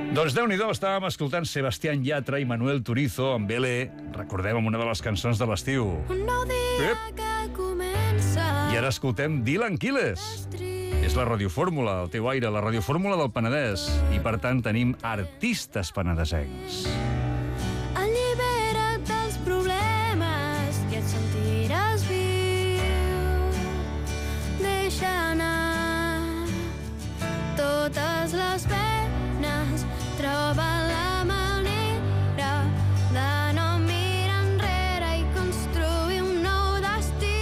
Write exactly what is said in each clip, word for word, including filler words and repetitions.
Doncs Déu-n'hi-do, estàvem escoltant Sebastián Yatra i Manuel Turizo amb Belé, recordem, amb una de les cançons de l'estiu. Un nou dia Ep. que comença. I ara escoltem Dylan Quiles. És la radiofórmula, el teu aire, la radiofórmula del Penedès. I per tant tenim artistes penedesencs. Allibera't dels problemes i et sentiràs viu. Deixa anar totes les penes, troba la manera de no mirar enrere i construir un nou destí.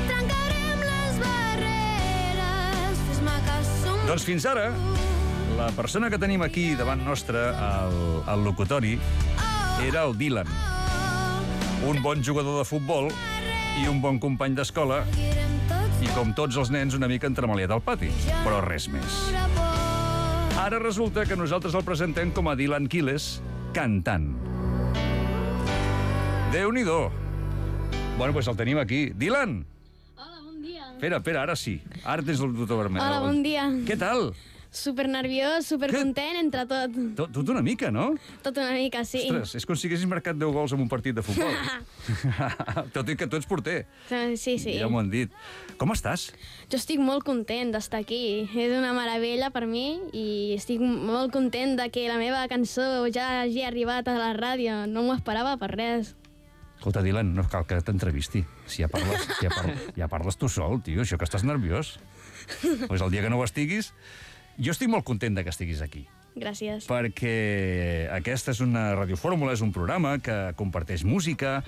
Trencarem les barreres, fes-me que som... Doncs fins ara, la persona que tenim aquí davant nostre, al, al locutori, era el Dylan. Un bon jugador de futbol i un bon company d'escola, i com tots els nens una mica entremaliat al pati, però res més. Ara resulta que nosaltres el presentem com a Dylan Quiles, cantant. Déu-n'hi-do. Bueno, doncs el tenim aquí. Dylan! Hola, bon dia. Espera, espera, ara sí. Ara tens el botó vermell. Hola, bon dia. Què tal? Super nerviós, super Què? content, entre tot. Tot, tot una mica, no? Tot una mica, sí. Ostres, és com si haguessis marcat deu gols en un partit de futbol. Tot i que tu ets porter. Sí, sí. Ja m'ho han dit. Com estàs? Jo estic molt content d'estar aquí. És una meravella per mi i estic molt content de que la meva cançó ja hagi arribat a la ràdio. No m'ho esperava per res. Escolta, Dylan, no cal que t'entrevisti. Si ja parles, si ja, par ja parles tu sol, tio, això que estàs nerviós. Pues el dia que no ho estiguis... Jo estic molt content de que estiguis aquí, Gràcies. perquè aquesta és una radiofórmula, és un programa que comparteix música,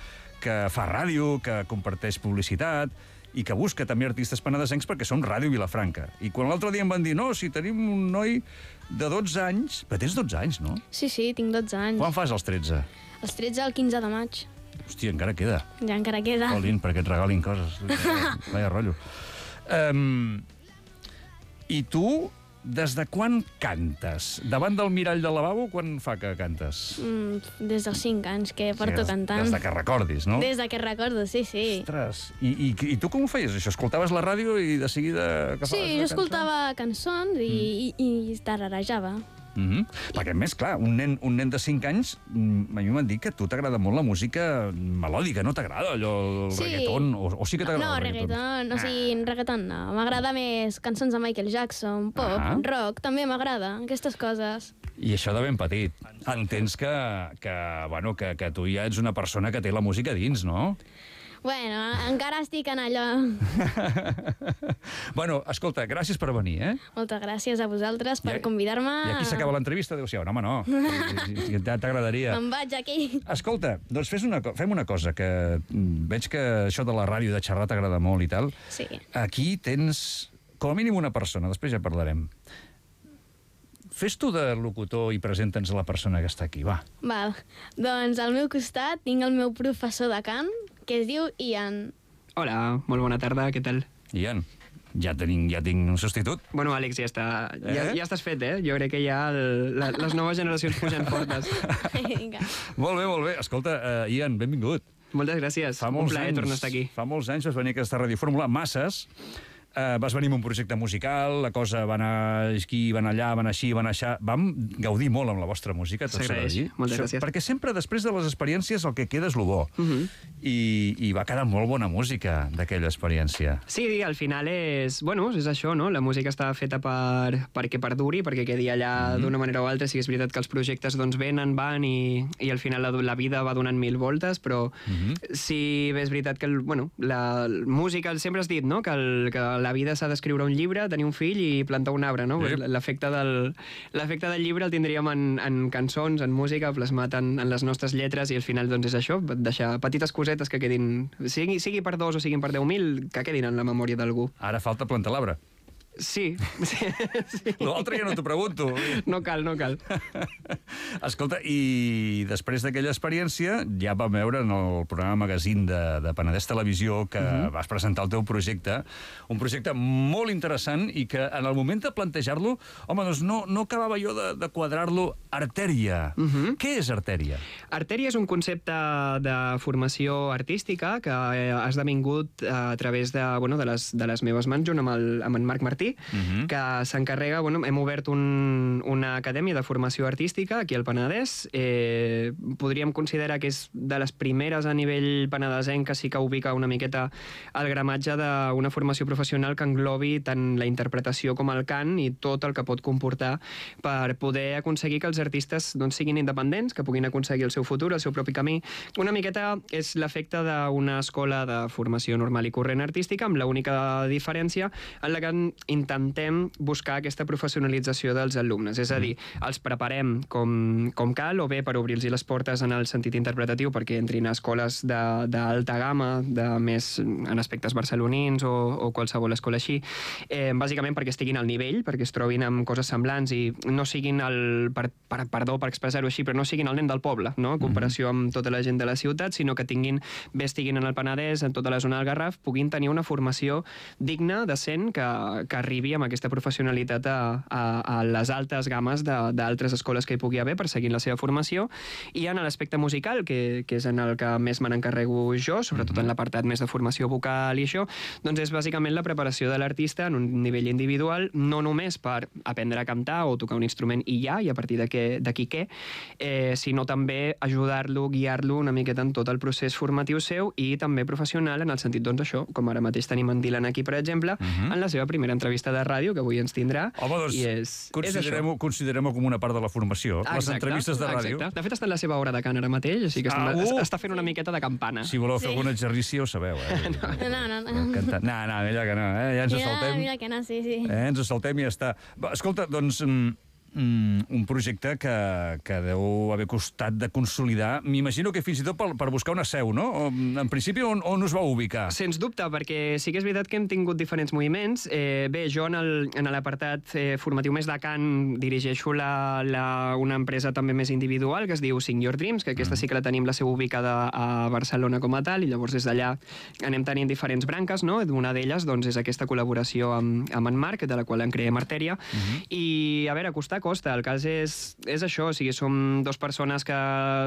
que fa ràdio, que comparteix publicitat i que busca també artistes penedesencs perquè som Ràdio Vilafranca. I quan l'altre dia em van dir, no, si tenim un noi de dotze anys... Però tens dotze anys, no? Sí, sí, tinc dotze anys. Quan fas els tretze? Els tretze al quinze de maig. Hòstia, encara queda. Ja encara queda. Colin, perquè et regalin coses. Vaya rotllo. Um, I tu... Des de quan cantes? Davant del mirall del lavabo, quan fa que cantes? Mm, des dels cinc anys que porto des, cantant. Des de que recordis, no? Des de que recordo, sí, sí. Ostres, i, i, i tu com ho feies, això? Escoltaves la ràdio i de seguida... agafaves Sí, la jo cançó? escoltava cançons i, mm. i, i tararejava. Mm -hmm. Perquè, a més, clar, un nen, un nen de cinc anys, a mi m'han dit que a tu t'agrada molt la música melòdica, no t'agrada allò, el Sí. reggaeton, o, o sí que t'agrada No, el reggaeton? reggaeton, o sigui, reggaeton no. M'agrada més cançons de Michael Jackson, pop, Ah. rock, també m'agrada, aquestes coses. I això de ben petit. Entens que, que, bueno, que, que tu ja ets una persona que té la música dins, no? Bueno, encara estic en allò. Bueno, escolta, gràcies per venir, eh? Moltes gràcies a vosaltres per I- convidar-me. I aquí s'acaba l'entrevista? Adéu-siau. No, home, no. Si t'agradaria. Me'n vaig aquí. Escolta, doncs fes una, co- fem una cosa, que mm, veig que això de la ràdio, de xerrar, t'agrada molt i tal. Sí. Aquí tens, com a mínim, una persona, després ja parlarem. Fes tu de locutor i presenta'ns la persona que està aquí, va. Val. Doncs al meu costat tinc el meu professor de cant, que es diu Ian. Hola, molt bona tarda, què tal? Ian, ja, tenim, ja tinc un substitut. Bueno, Àlex, ja, està, ja, Eh? ja estàs fet, eh? Jo crec que ja el, la, les noves generacions pugen fortes. Vinga. Molt bé, molt bé. Escolta, uh, Ian, benvingut. Moltes gràcies, Fa un molts plaer anys, tornar a estar aquí. Fa molts anys vas venir a aquesta radiofórmula, masses. Uh, vas venir amb un projecte musical, la cosa va anar aquí, va anar allà, va anar així, va anar aixà. Vam gaudir molt amb la vostra música, tot s'ha de S'agraeix, dir. moltes Això- gràcies. Perquè sempre després de les experiències el que queda és lo bo. Uh -huh. I, I va quedar molt bona música d'aquella experiència. Sí, al final és... Bueno, és això, no? La música està feta per, perquè perduri, perquè quedi allà Mhm. d'una manera o altra. Sí que és veritat que els projectes doncs venen, van i, i al final la, la vida va donant mil voltes, però Mhm. sí bé és veritat que el, bueno, la música, sempre has dit, no?, que, el, que la vida s'ha d'escriure un llibre, tenir un fill i plantar un arbre, no? Sí. Pues l'efecte del, l'efecte del llibre el tindríem en, en cançons, en música, plasmat en, en les nostres lletres, i al final doncs és això, deixar petites cosetes que quedin, sigui, sigui per dos o siguin per deu mil, que quedin en la memòria d'algú. Ara falta plantar l'arbre. Sí, sí, sí. L'altre ja no t'ho pregunto. No cal, no cal. Escolta, i després d'aquella experiència ja vam veure en el programa magazín de, de Penedès Televisió que uh-huh. vas presentar el teu projecte, un projecte molt interessant i que en el moment de plantejar-lo, home, doncs no, no acabava jo de, de quadrar-lo. Artèria. Uh-huh. Què és Artèria? Artèria és un concepte de formació artística que ha esdevingut a través de, bueno, de, les, de les meves mans junt amb, el, amb en Marc Martí, Martí, uh-huh. que s'encarrega, bueno, hem obert un, una acadèmia de formació artística aquí al Penedès. Eh, podríem considerar que és de les primeres a nivell penedesenc que sí que ubica una miqueta el gramatge d'una formació professional que englobi tant la interpretació com el cant i tot el que pot comportar per poder aconseguir que els artistes doncs, siguin independents, que puguin aconseguir el seu futur, el seu propi camí. Una miqueta és l'efecte d'una escola de formació normal i corrent artística, amb l'única diferència en la que intentem buscar aquesta professionalització dels alumnes. És a dir, els preparem com, com cal, o bé per obrir-los les portes en el sentit interpretatiu perquè entrin a escoles d'alta gamma, de més en aspectes barcelonins o, o qualsevol escola així, eh, bàsicament perquè estiguin al nivell, perquè es trobin amb coses semblants i no siguin el, per, per, perdó per expressar-ho així, però no siguin el nen del poble, no? En comparació amb tota la gent de la ciutat, sinó que tinguin, bé estiguin en el Penedès, en tota la zona del Garraf, puguin tenir una formació digna, decent, que, que arribi amb aquesta professionalitat a, a, a les altes gammes d'altres escoles que hi pugui haver per seguir la seva formació. I en l'aspecte musical, que, que és en el que més me n'encarrego jo, sobretot en l'apartat més de formació vocal i això, doncs és bàsicament la preparació de l'artista en un nivell individual, no només per aprendre a cantar o tocar un instrument i ja, i a partir d'aquí què, eh, sinó també ajudar-lo, guiar-lo una miqueta en tot el procés formatiu seu i també professional, en el sentit, doncs, això, com ara mateix tenim en Dylan aquí, per exemple, uh -huh. en la seva primera entrevista de ràdio, que avui ens tindrà. Home, doncs, i és, considerem-ho considerem com una part de la formació, exacte, les entrevistes de ràdio. Exacte. De fet, està en la seva hora de cant ara mateix, així que ah, estem, uh! està fent una miqueta de campana. Si voleu fer Sí. algun exercici, ho sabeu, eh? No, no, no. Cantant. No, no, mira que no, eh? Ja ens Mira, saltem. mira que no, sí, sí. Eh? Ens saltem i ja està. Va, escolta, doncs... Mm, Mm, un projecte que, que deu haver costat de consolidar, m'imagino que fins i tot per, per buscar una seu, no? En principi, on, on us va ubicar? Sens dubte, perquè sí que és veritat que hem tingut diferents moviments. Eh, bé, jo en l'apartat eh, formatiu més de cant dirigeixo la, la, una empresa també més individual que es diu Sing Your Dreams, que aquesta sí que la tenim la seu ubicada a Barcelona com a tal, i llavors des d'allà anem tenint diferents branques, no? Una d'elles doncs, és aquesta col·laboració amb, amb en Marc, de la qual en creem Artèria, uh-huh. i a veure, costar costa. El cas és, és això, o sigui, som dues persones que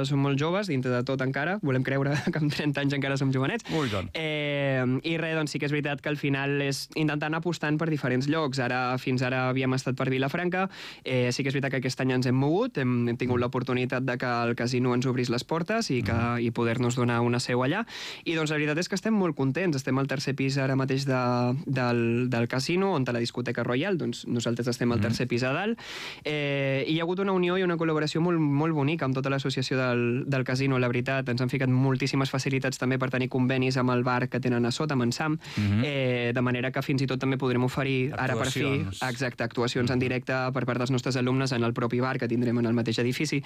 som molt joves, dintre de tot encara, volem creure que amb trenta anys encara som jovenets. Ui, doncs. Eh, I res, doncs sí que és veritat que al final és intentant apostant per diferents llocs. Ara, fins ara havíem estat per Vilafranca, eh, sí que és veritat que aquest any ens hem mogut, hem, hem tingut l'oportunitat de que el casino ens obrís les portes i, que, mm. i poder-nos donar una seu allà. I doncs la veritat és que estem molt contents. Estem al tercer pis ara mateix de, del, del casino, on a la discoteca Royal, doncs nosaltres estem al tercer pis a dalt. Eh, hi ha hagut una unió i una col·laboració molt, molt bonica amb tota l'associació del, del casino, la veritat. Ens han ficat moltíssimes facilitats també per tenir convenis amb el bar que tenen a sota, amb en Sam, uh-huh. eh, de manera que fins i tot també podrem oferir ara per fi exacte, actuacions uh-huh. en directe per part dels nostres alumnes en el propi bar que tindrem en el mateix edifici,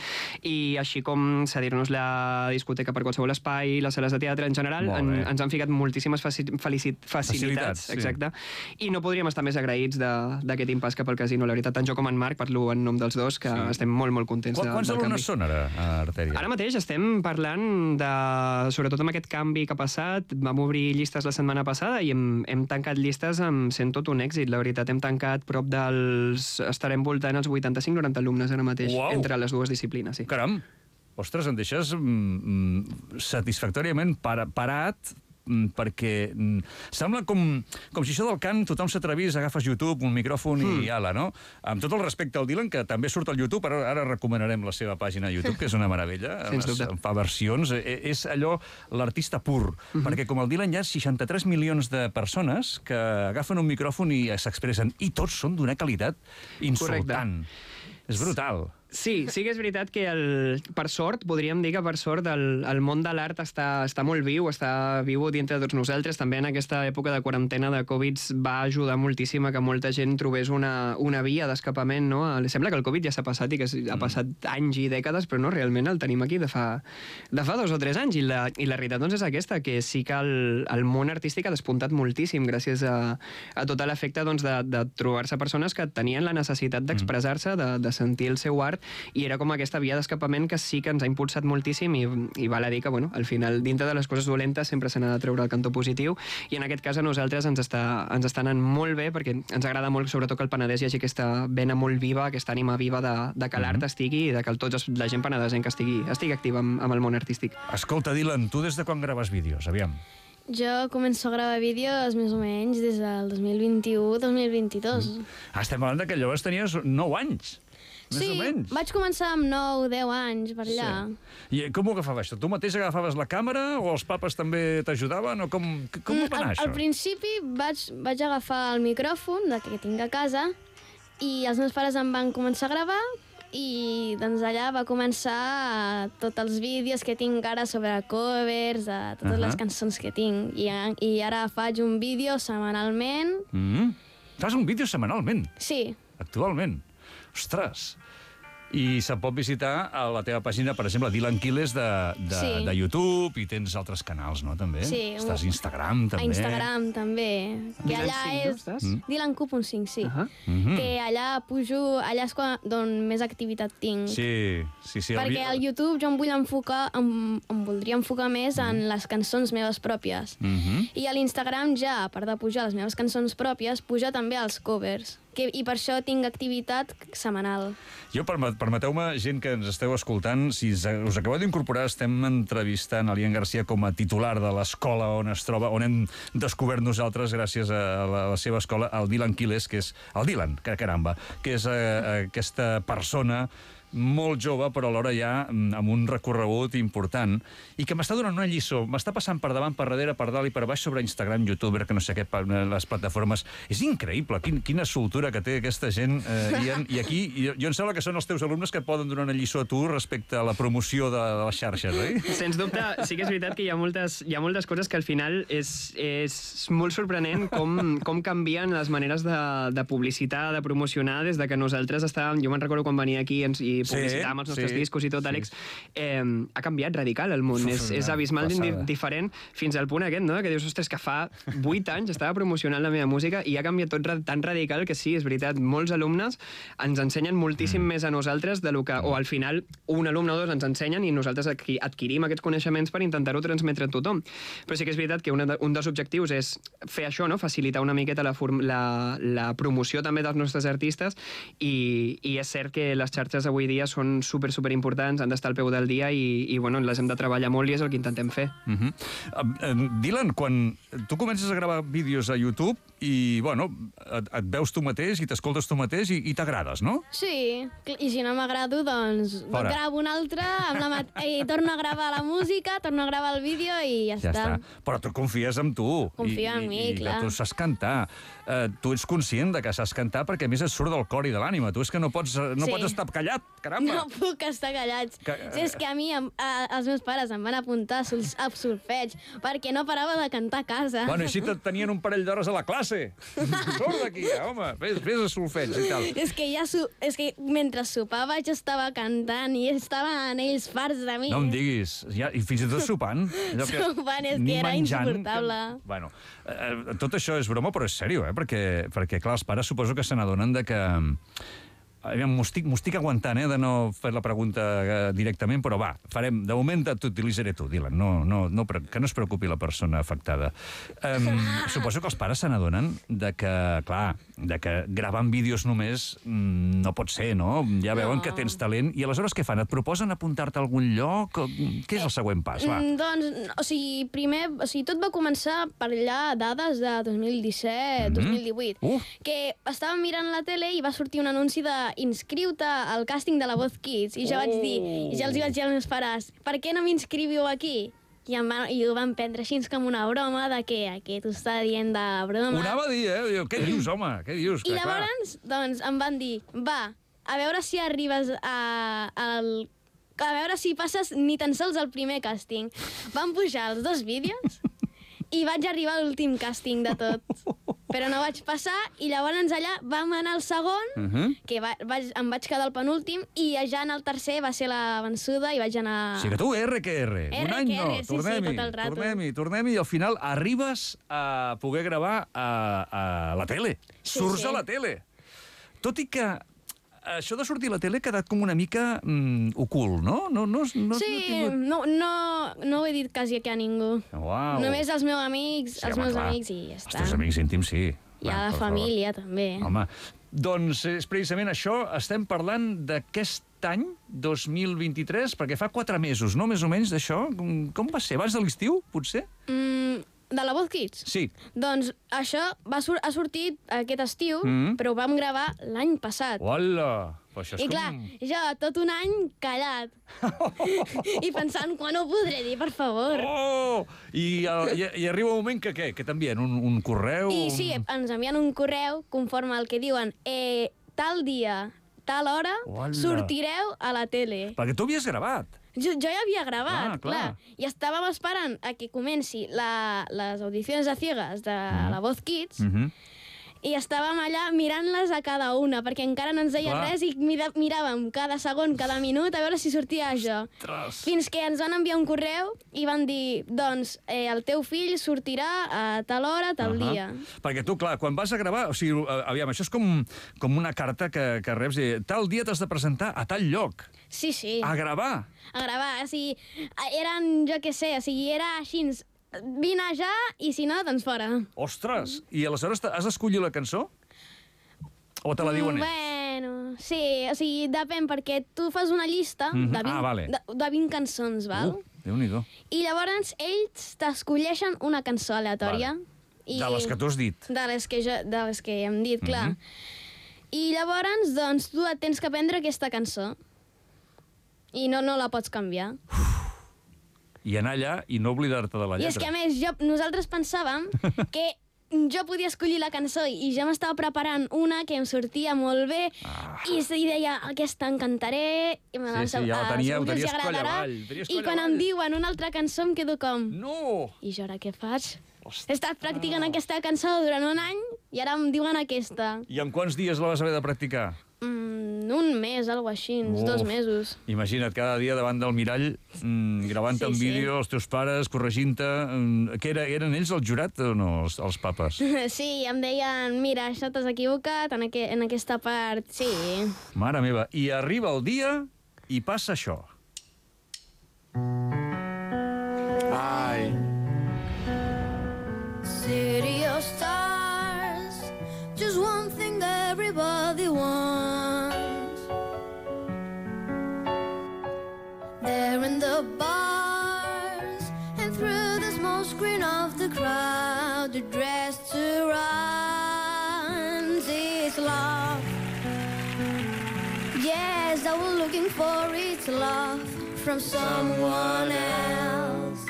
i així com cedir-nos la discoteca per qualsevol espai, les sales de teatre en general, en, ens han ficat moltíssimes faci facilitats, facilitats exacte, sí. I no podríem estar més agraïts d'aquest impàs cap al casino. La veritat, tant jo com en Marc, parlo en nom dels dos, que sí. estem molt, molt contents. Qu Quants alumnes són ara a Artèria? Ara mateix estem parlant de, sobretot amb aquest canvi que ha passat, vam obrir llistes la setmana passada i hem, hem tancat llistes amb sent tot un èxit. La veritat, hem tancat prop dels... estarem voltant els vuitanta-cinc noranta alumnes ara mateix, wow. entre les dues disciplines. Sí. Caram! Ostres, em deixes mm, satisfactòriament par parat, perquè mm, sembla com, com si això del cant tothom s'atrevís, agafes YouTube, un micròfon mm. i ala, no? Amb tot el respecte al Dylan, que també surt al YouTube, ara, ara recomanarem la seva pàgina a YouTube, que és una meravella, en fa versions, és allò l'artista pur, mm-hmm. perquè com el Dylan hi ha seixanta-tres milions de persones que agafen un micròfon i s'expressen, i tots són d'una qualitat insultant. Correcte. És brutal. Sí, sí que és veritat que el, per sort, podríem dir que per sort el, el món de l'art està, està molt viu, està viu dintre de tots nosaltres. També en aquesta època de quarantena de Covid va ajudar moltíssim a que molta gent trobés una, una via d'escapament, no? Sembla que el Covid ja s'ha passat i que ha passat anys i dècades, però no, realment el tenim aquí de fa, de fa dos o tres anys. I la, i la realitat doncs, és aquesta, que sí que el, el món artístic ha despuntat moltíssim gràcies a, a tot l'efecte doncs, de, de trobar-se persones que tenien la necessitat d'expressar-se, de, de sentir el seu art, i era com aquesta via d'escapament que sí que ens ha impulsat moltíssim i, i val a dir que, bueno, al final, dintre de les coses dolentes sempre se n'ha de treure el cantó positiu, i en aquest cas a nosaltres ens està, ens està anant molt bé, perquè ens agrada molt, sobretot que al Penedès hi hagi aquesta vena molt viva, aquesta ànima viva de, de que l'art estigui i de que el, tots la gent penedesenca estigui, estigui activa amb, amb el món artístic. Escolta, Dylan, tu des de quan graves vídeos? Aviam. Jo començo a gravar vídeos més o menys des del dos mil vint-i-u dos mil vint-i-dos. Mm. Ah, estem parlant que llavors tenies nou anys. Més sí, o menys. vaig començar amb nou, deu anys, per allà. Sí. I com ho agafaves? Tu mateix agafaves la càmera o els papes també t'ajudaven? O com, com ho va anar, al, això? Al principi vaig, vaig agafar el micròfon de que tinc a casa i els meus pares em van començar a gravar i doncs allà va començar tots els vídeos que tinc ara sobre covers, de totes uh -huh. les cançons que tinc. I, I ara faig un vídeo setmanalment. Mm -hmm. Fas un vídeo setmanalment? Sí. Actualment? Ostres! I se'n pot visitar a la teva pàgina, per exemple, Dylan Quiles de, de, sí. de YouTube, i tens altres canals, no, també? Sí. Estàs a Instagram, també. A Instagram, també. Que Dylan allà cinc, és... no, estàs? Mm. Dylan Q punt cinc, sí. Uh -huh. Mm -hmm. Que allà pujo... Allà és quan, d'on més activitat tinc. Sí, sí, sí. Perquè al YouTube jo em vull enfocar... Em, em voldria enfocar més en les cançons meves pròpies. Mm -hmm. I a l'Instagram ja, a part de pujar les meves cançons pròpies, puja també els covers. Que, I per això tinc activitat setmanal. Jo, permeteu-me, gent que ens esteu escoltant, si us acabeu d'incorporar, estem entrevistant a l'Ian Garcia com a titular de l'escola on es troba, on hem descobert nosaltres, gràcies a la, a la seva escola, el Dylan Quiles, que és el Dylan, que caramba, que és eh, aquesta persona molt jove, però alhora ja amb un recorregut important, i que m'està donant una lliçó, m'està passant per davant, per darrere, per dalt i per baix sobre Instagram, YouTuber, que no sé què, les plataformes. És increïble, quin, quina soltura que té aquesta gent, eh, i, i aquí, jo, jo em sembla que són els teus alumnes que poden donar una lliçó a tu respecte a la promoció de, de les xarxes, oi? Sens dubte, sí que és veritat que hi ha moltes, hi ha moltes coses que al final és, és molt sorprenent com, com canvien les maneres de, de publicitar, de promocionar, des de que nosaltres estàvem, jo me'n recordo quan venia aquí ens, i publicitar amb els nostres sí, discos i tot, sí. Àlex, eh, ha canviat radical el món, és, és abismalment diferent fins al punt aquest, no?, que dius, ostres, que fa vuit anys estava promocionant la meva música i ha canviat tot tan radical que sí, és veritat, molts alumnes ens ensenyen moltíssim mm. més a nosaltres de lo que, o al final un alumne o dos ens ensenyen i nosaltres adquirim aquests coneixements per intentar-ho transmetre a tothom. Però sí que és veritat que una de, un dels objectius és fer això, no?, facilitar una miqueta la, la, la promoció també dels nostres artistes i, i és cert que les xarxes avui dia són super, super importants, han d'estar al peu del dia i, i bueno, les hem de treballar molt i és el que intentem fer. Uh -huh. uh, Dylan, quan tu comences a gravar vídeos a YouTube i, bueno, et, et veus tu mateix i t'escoltes tu mateix i, i t'agrades, no? Sí, i si no m'agrado, doncs Fora. gravo un altre, amb la mat... i torno a gravar la música, torno a gravar el vídeo i ja, Ja està. està. Però tu confies en tu. Confio I, en mi, i, clar. I que tu saps cantar. Uh, tu ets conscient de que saps cantar perquè a més et surt del cor i de l'ànima. Tu és que no pots, no Sí. pots estar callat, caramba. No puc estar callats. Que- Sí, és que a mi, em, a, els meus pares em van apuntar a, sol, a solfeig perquè no parava de cantar a casa. Bueno, i si te tenien un parell d'hores a la classe? Surt d'aquí, home, vés, vés a solfeig i tal. És que ja so, és que mentre sopava jo estava cantant i estaven ells farts de mi. No em diguis. Ja, I fins i tot sopant. Allò Sopant, és ni que era menjant, insuportable. Que, bueno, eh, tot això és broma, però és sèrio, eh? Perquè, perquè clar, els pares suposo que se n'adonen de que... M'ho estic, estic aguantant, eh, de no fer la pregunta eh, directament, però va, farem, de moment t'utilitzaré tu, Dylan, no, no, no, que no es preocupi la persona afectada. Um, suposo que els pares se n'adonen de que, clar, de que gravant vídeos només mm, no pot ser, no? Ja veuen No. que tens talent, i aleshores què fan? Et proposen apuntar-te a algun lloc? Què és el següent pas, va? Mm, doncs, o sigui, primer, o sigui, tot va començar per allà dades de dos mil disset, dos mil divuit, Uh. que estàvem mirant la tele i va sortir un anunci de inscriu-te al càsting de la Voz Kids, i jo Oh. vaig dir, i ja els hi vaig dir als meus pares, per què no m'inscriviu aquí? I, em van, I ho van prendre així com una broma de que aquest ho està dient de broma. Ho anava a dir, eh? Diu, què dius, home? Què dius? I Que, clar, llavors, doncs, em van dir, va, a veure si arribes a, al... a veure si passes ni tan sols al primer càsting. Van pujar els dos vídeos i vaig arribar a l'últim càsting de tot. Però no vaig passar i llavors allà vam anar al segon, Uh -huh. que va, vaig, em vaig quedar al penúltim, i ja en el tercer va ser la vençuda i vaig anar... O sigui que tu, R que R. Un R any que no, R, sí, sí, tornem-hi, tot el rato. tornem-hi, tornem-hi, i al final arribes a poder gravar a, a la tele. Sí, Surts sí. a la tele. Tot i que això de sortir a la tele ha quedat com una mica mm, ocult, no? no, no, no Sí, no no, no, no ho he dit quasi aquí a ningú. Uau. Només als meus amics, Sí, als home, meus clar. amics i ja Els està. teus amics íntims, sí. I Va, a la per favor. família, també. Home, doncs és precisament això, estem parlant d'aquest any, dos mil vint-i-tres, perquè fa quatre mesos, no?, més o menys, d'això. Com va ser? Abans de l'estiu, potser? Mm, De la Voz Kids? Sí. Doncs això va sur ha sortit aquest estiu, Mm. però ho vam gravar l'any passat. Hola! Però això és I clar, com... jo tot un any callat. I pensant, quan ho podré dir, per favor? Oh! I, uh, i, i arriba un moment que què? Que t'envien un, un correu? I un... sí, ens envien un correu conforme al que diuen eh, tal dia, tal hora, Hola. sortireu a la tele. Perquè tu havies gravat. Jo, jo ja havia gravat, Ah, clar. clar. I estàvem esperant a que comenci la, les audicions a ciegas de Mm. la Voz Kids, Mm -hmm. i estàvem allà mirant-les a cada una, perquè encara no ens deien Clar. res i mira, miràvem cada segon, cada minut, a veure si sortia jo. Ostres! Fins que ens van enviar un correu i van dir, doncs, eh, el teu fill sortirà a tal hora, tal Ahà. dia. Perquè tu, clar, quan vas a gravar... O sigui, eh, aviam, això és com, com una carta que, que reps. Eh, tal dia t'has de presentar a tal lloc. Sí, sí, A gravar. a gravar. O sigui, eren, jo què sé, o sigui, era així, vine ja i si no, doncs fora. Ostres! I aleshores has d'escollir la cançó? O te la diuen Mm, ells? Bueno, sí, o sigui, depèn, perquè tu fas una llista Mhm. de, vint, Ah, vale. de, de vint cançons, val? Uh, Déu-n'hi-do. I llavors ells t'escolleixen una cançó aleatòria. Vale. I... De les que tu has dit. De les que, jo, de les que hem dit, clar. Mhm. I llavors, doncs, tu et tens que aprendre aquesta cançó. I no, no la pots canviar. I anar allà i no oblidar-te de la I lletra. és que, a més, jo, nosaltres pensàvem que jo podia escollir la cançó i ja m'estava preparant una que em sortia molt bé Ah. i, i deia, aquesta en cantaré i me Sí, sí, ja la ah, tenia- ho segur que els tenies coll agradarà. avall, tenies I coll quan avall. em diuen una altra cançó em quedo com... No! I jo ara què faig? Ostres. He estat practicant aquesta cançó durant un any i ara em diuen aquesta. I en quants dies la vas haver de practicar? Mm, un mes, algo així, uns dos Uf. mesos. Imagina't, cada dia davant del mirall, mm, gravant Sí, en sí. vídeo els teus pares, corregint-te... Mm, que era, eren ells el jurat o no, els, els papes? Sí, em deien, mira, això t'has equivocat en, aqu en aquesta part. Sí. Mare meva. I arriba el dia i passa això. Ai. City of stars, just one thing everybody wants. There in the bars and through the small screen of the crowd, the dress to run is love. Yes, I was looking for it's love from someone else.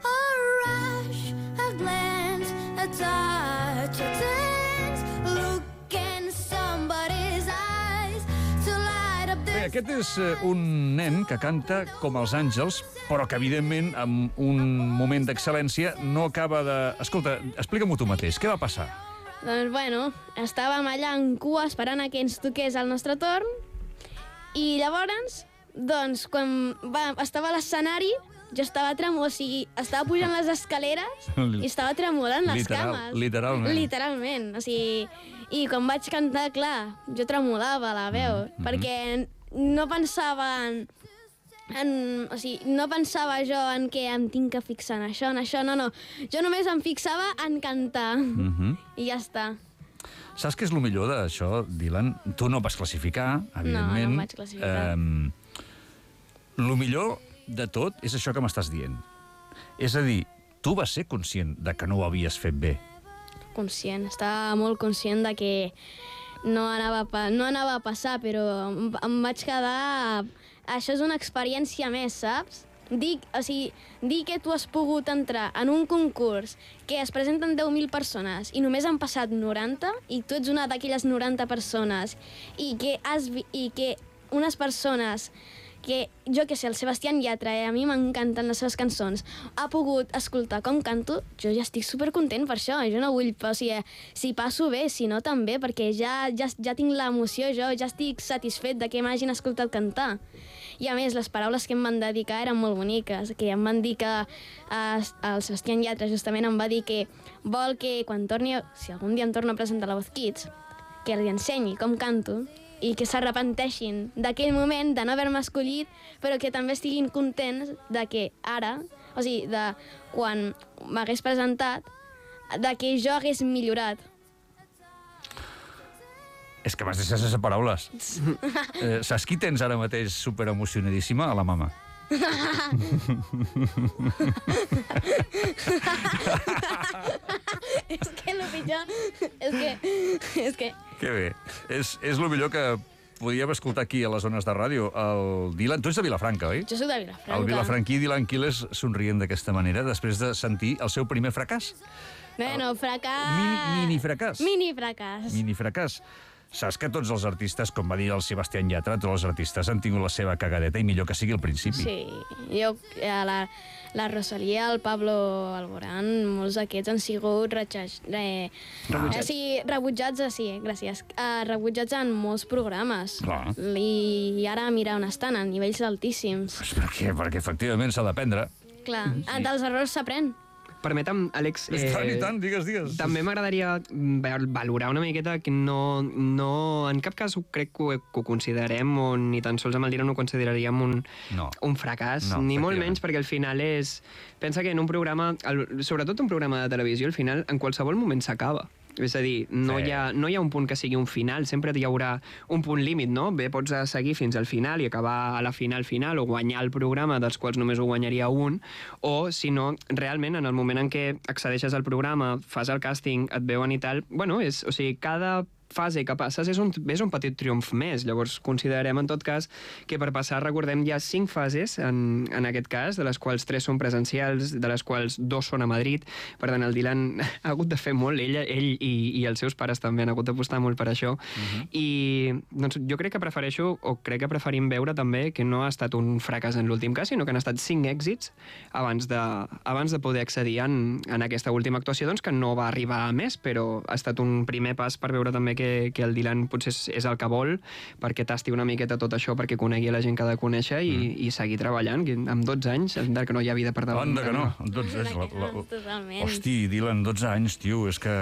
A rush, a glance, a touch, a tense look in somebody's eyes to light up Bé, this. aquest és eh, un nen que canta com els àngels, però que, evidentment, amb un moment d'excel·lència no acaba de... Escolta, explica-m'ho tu mateix. Què va passar? Doncs, bueno, estàvem allà en cua esperant a que ens toqués el nostre torn i llavors, doncs, quan va, estava a l'escenari, jo estava tremolant, o sigui, estava pujant les escaleres i estava tremolant les Literal, cames. literalment. Literalment, o sigui... I quan vaig cantar, clar, jo tremolava la veu, Mm, perquè no pensava en, en... O sigui, no pensava jo en que em tinc que fixar en això, en això, no, no. Jo només em fixava en cantar. Mhm. I ja està. Saps què és el millor d'això, Dylan? Tu no vas classificar, evidentment. no em vaig classificar. El millor de tot és això que m'estàs dient. És a dir, tu vas ser conscient de que no ho havies fet bé. Conscient, estava molt conscient de que no anava a, pa no anava a passar, però em, em vaig quedar... Això és una experiència més, saps? Dir, o sigui, dir que tu has pogut entrar en un concurs que es presenten deu mil persones i només han passat noranta i tu ets una d'aquelles noranta persones i que, has vi i que unes persones que, jo que sé, el Sebastián Yatra, eh, a mi m'encanten les seves cançons, ha pogut escoltar com canto, jo ja estic supercontent per això, jo no vull, o sigui, si passo bé, si no també, perquè ja, ja, ja tinc l'emoció, jo ja estic satisfet de que m'hagin escoltat cantar. I a més, les paraules que em van dedicar eren molt boniques, que em van dir que eh, el Sebastián Yatra justament em va dir que vol que quan torni, si algun dia em torno a presentar la Voz Kids, que li ensenyi com canto, i que s'arrepenteixin d'aquell moment de no haver-me escollit, però que també estiguin contents de que ara, o sigui, de quan m'hagués presentat, de que jo hagués millorat. És que m'has deixat sense paraules. eh, saps qui tens ara mateix superemocionadíssima? A la mama. És que... Que bé. És, és el millor que podíem escoltar aquí a les zones de ràdio. El Dylan... Tu ets de Vilafranca, oi? Jo soc de Vilafranca. El vilafranquí Dylan Quiles somrient d'aquesta manera després de sentir el seu primer fracàs. Bueno, fracàs... Mini, mini fracàs. Mini fracàs. Mini fracàs. Saps que tots els artistes, com va dir el Sebastián Yatra, tots els artistes han tingut la seva cagadeta i millor que sigui al principi. Sí, jo, eh, la, la Rosalía, el Pablo Alborán, molts d'aquests han sigut retxaj, eh, Rebutjats. Eh, sí, rebutjats, eh, sí, gràcies, eh, rebutjats en molts programes. Clar. I ara mira on estan, a nivells altíssims. Pues perquè, perquè efectivament s'ha d'aprendre. Clar, sí. Dels errors s'aprèn. Permetem, Àlex... Eh... Tant i tant, digues, digues. També m'agradaria valorar una miqueta que no, no... En cap cas ho crec que ho, que ho considerem, o ni tan sols amb el Dylan ho consideraríem un, no. un fracàs, no, ni molt menys, perquè al final és... Pensa que en un programa, sobretot un programa de televisió, al final en qualsevol moment s'acaba. És a dir, no, Sí. hi ha, no hi ha un punt que sigui un final, sempre hi haurà un punt límit, no? Bé, pots seguir fins al final i acabar a la final final o guanyar el programa, dels quals només ho guanyaria un, o, si no, realment, en el moment en què accedeixes al programa, fas el càsting, et veuen i tal, bueno, és, o sigui, cada fase que passes és un, és un petit triomf més. Llavors, considerem, en tot cas, que per passar, recordem, hi ha cinc fases, en, en aquest cas, de les quals tres són presencials, de les quals dos són a Madrid. Per tant, el Dylan ha hagut de fer molt, ell, ell i, i els seus pares també han hagut d'apostar molt per això. Uh-huh. I doncs, jo crec que prefereixo, o crec que preferim veure també que no ha estat un fracàs en l'últim cas, sinó que han estat cinc èxits abans de, abans de poder accedir en, en aquesta última actuació, doncs, que no va arribar a més, però ha estat un primer pas per veure també que, que el Dylan potser és, és el que vol, perquè tasti una miqueta tot això, perquè conegui la gent que ha de conèixer i, mm. i seguir treballant, que amb dotze anys, encara que no hi ha vida per davant. Anda que no, amb dotze anys. La, la, la... Totalment. Hosti, Dylan, dotze anys, tio, és que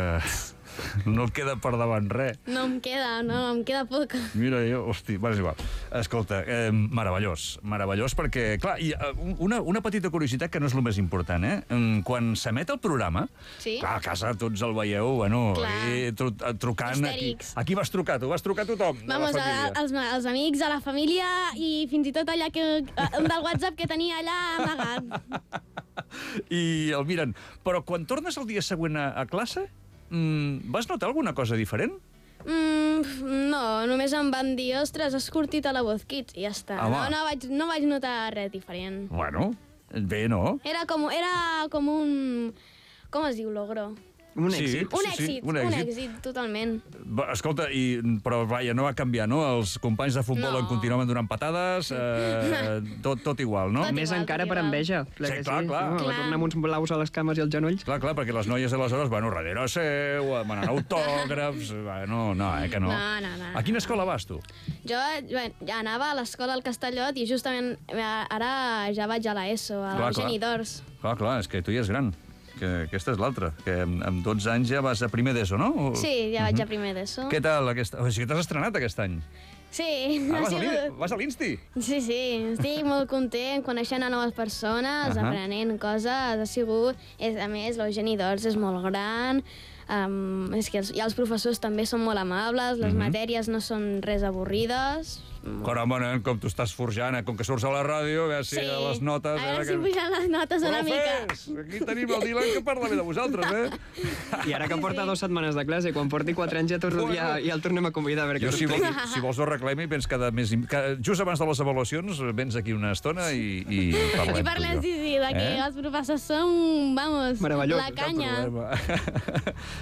no et queda per davant res. No em queda, no, em queda poc. Mira, jo, hosti, va, és igual. Escolta, eh, meravellós, meravellós, perquè, clar, i, uh, una, una petita curiositat que no és el més important, eh? Quan s'emet el programa, Sí? clar, a casa tots el veieu, bueno, Clar. eh, tru trucant... Aquí, Histèrics. aquí vas trucar, tu vas trucar a tothom, Vamos, de la a, família. als, als amics, a la família i fins i tot allà que, un del WhatsApp que tenia allà amagat. I el miren. Però quan tornes el dia següent a, a classe, mm, vas notar alguna cosa diferent? Mm, no, només em van dir, ostres, has curtit a la Voz Kids, i ja està. Home. No, no, vaig, no vaig notar res diferent. Bueno, bé, no? Era com, era com un... Com es diu, logro? Un Sí. èxit. Un sí, èxit, un un èxit. èxit, totalment. Va, escolta, i, però vaja, no va canviar, no? Els companys de futbol No. en continuaven donant patades, eh, tot, tot igual, no? Tot Més igual, encara tot per igual. enveja. Sí, clar, clar. No? Clar. Va tornar amb uns blaus a les cames i als genolls. Clar, clar, perquè les noies aleshores van darrere seu, demanant autògrafs... No, no, eh, que no. No, no, no. A quina escola vas, tu? Jo bueno, ja anava a l'escola al Castellot i justament eh, ara ja vaig a l'ESO, a Clar, clar. Eugeni d'Ors. Clar, clar, és que tu ja és gran. Que aquesta és l'altra, que amb, amb dotze anys ja vas a primer d'ESO, no? O... Sí, ja vaig a primer d'ESO. Què tal aquesta... O sigui, t'has estrenat aquest any. Sí, Ah, ha vas a l'in- sigut... vas a l'Insti? Sí, sí, estic molt content, coneixent a noves persones, Ahà. aprenent coses, ha sigut... És, a més, l'Eugeni d'Ors és molt gran, um, és que els, i els professors també són molt amables, les Mhm. matèries no són res avorrides... Caramba, nen, com tu estàs forjant, eh? Com que surts a la ràdio, a veure si a les notes... A veure eh, si pugen les notes una mica. Profes, aquí tenim el Dylan que parla bé de vosaltres, eh? I ara que porta dues setmanes de classe, quan porti quatre anys ja, torno, ja, ja el tornem a convidar. A veure Jo, què si vols, t'expliqui. si vols ho reclami, vens cada mes... i- Cada, just abans de les avaluacions, vens aquí una estona i, i parlem. I parlem, tu i sí, jo. sí, de que Eh? els professors són, vamos, Meravellós, la Cap canya. problema.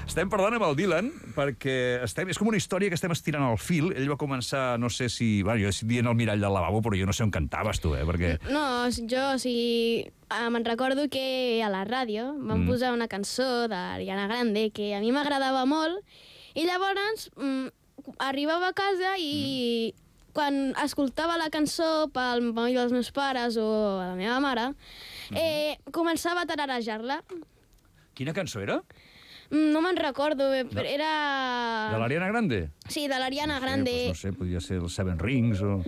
Estem parlant amb el Dylan perquè estem, és com una història que estem estirant al fil. Ell va començar, no sé si... Bueno, jo dient el mirall del lavabo, però jo no sé on cantaves tu, eh? Perquè... No, jo, o sigui, eh, me'n recordo que a la ràdio van Mm. posar una cançó d'Ariana Grande que a mi m'agradava molt i llavors mm, arribava a casa i mm. quan escoltava la cançó pel moll dels meus pares o a la meva mare, Mm. eh, començava a tararejar-la. Quina cançó era? Mm, No me'n recordo bé, però era... De l'Ariana Grande? Sí, de l'Ariana No sé, Grande. doncs no sé, podria ser el Seven Rings o...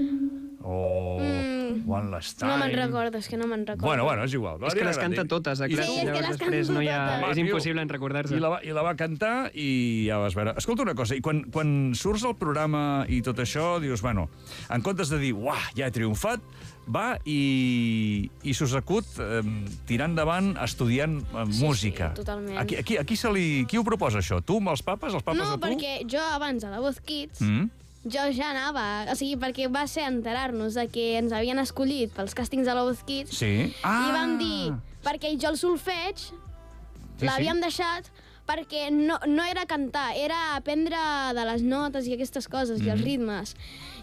o... Mm, One Last Time... No me'n recordo, és que no me'n recordo. Bueno, bueno, és igual. És que les canta totes, a classe. Sí, és que les després canto no hi ha... totes. És impossible en recordar-se. I la, va, I la va cantar i ja vas veure... Escolta una cosa, i quan, quan surts al programa i tot això, dius, bueno, en comptes de dir, uah, ja he triomfat, va i, i s'us acut eh, tirar endavant estudiant eh, Sí, música. sí, totalment. A qui, a qui, a qui, se li, qui ho proposa, això? Tu amb els papes? Els papes No, a tu? perquè jo abans a la Voz Kids, Mm? jo ja anava, o sigui, perquè va ser enterar-nos de que ens havien escollit pels càstings de la Voz Kids, Sí. i vam dir, perquè jo el solfeig Sí, l'havíem deixat perquè no, no era cantar, era aprendre de les notes i aquestes coses, mm. i els ritmes.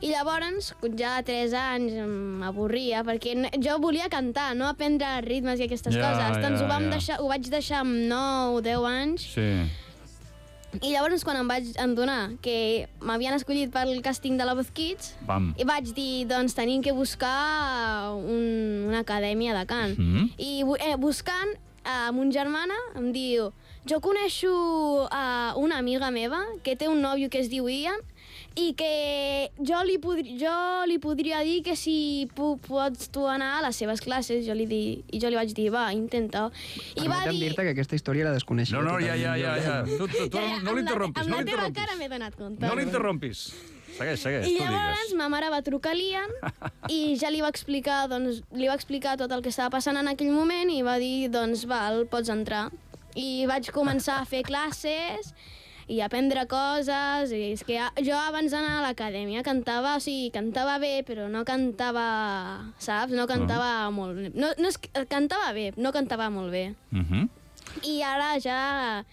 I llavors, ja a tres anys, m'avorria, perquè no, jo volia cantar, no aprendre ritmes i aquestes Ja, coses. ja, Doncs ho, vam ja. deixar, ho vaig deixar amb nou o deu anys, Sí. i llavors quan em vaig adonar que m'havien escollit pel càsting de la Voz Kids, Pam. i vaig dir, doncs tenim que buscar un, una acadèmia de cant. Mhm. I bu- eh, buscant, eh, mon germana em diu, jo coneixo uh, una amiga meva que té un nòvio que es diu Ian i que jo li, podri, jo li podria dir que si pu pots tu anar a les seves classes. Jo li di, I jo li vaig dir, va, intenta. I va Permetem dir... dir-te que aquesta història la desconeixia. No, no, ja, ja, ja, ja. Tu, tu, tu Ja, ja, no amb la- l'interrompis, amb no la teva l'interrompis. cara m'he donat compte. No l'interrompis. Segueix, segueix, I tu llavors digues. ma mare va trucar a l'Ian i ja li va explicar, doncs, li va explicar tot el que estava passant en aquell moment i va dir, doncs, val, pots entrar. I vaig començar a fer classes i a aprendre coses, i és que jo abans d'anar a l'acadèmia cantava, o sigui, cantava bé, però no cantava, saps? No cantava Ah. molt bé. No, no és, cantava bé, no cantava molt bé. Mhm. I ara ja,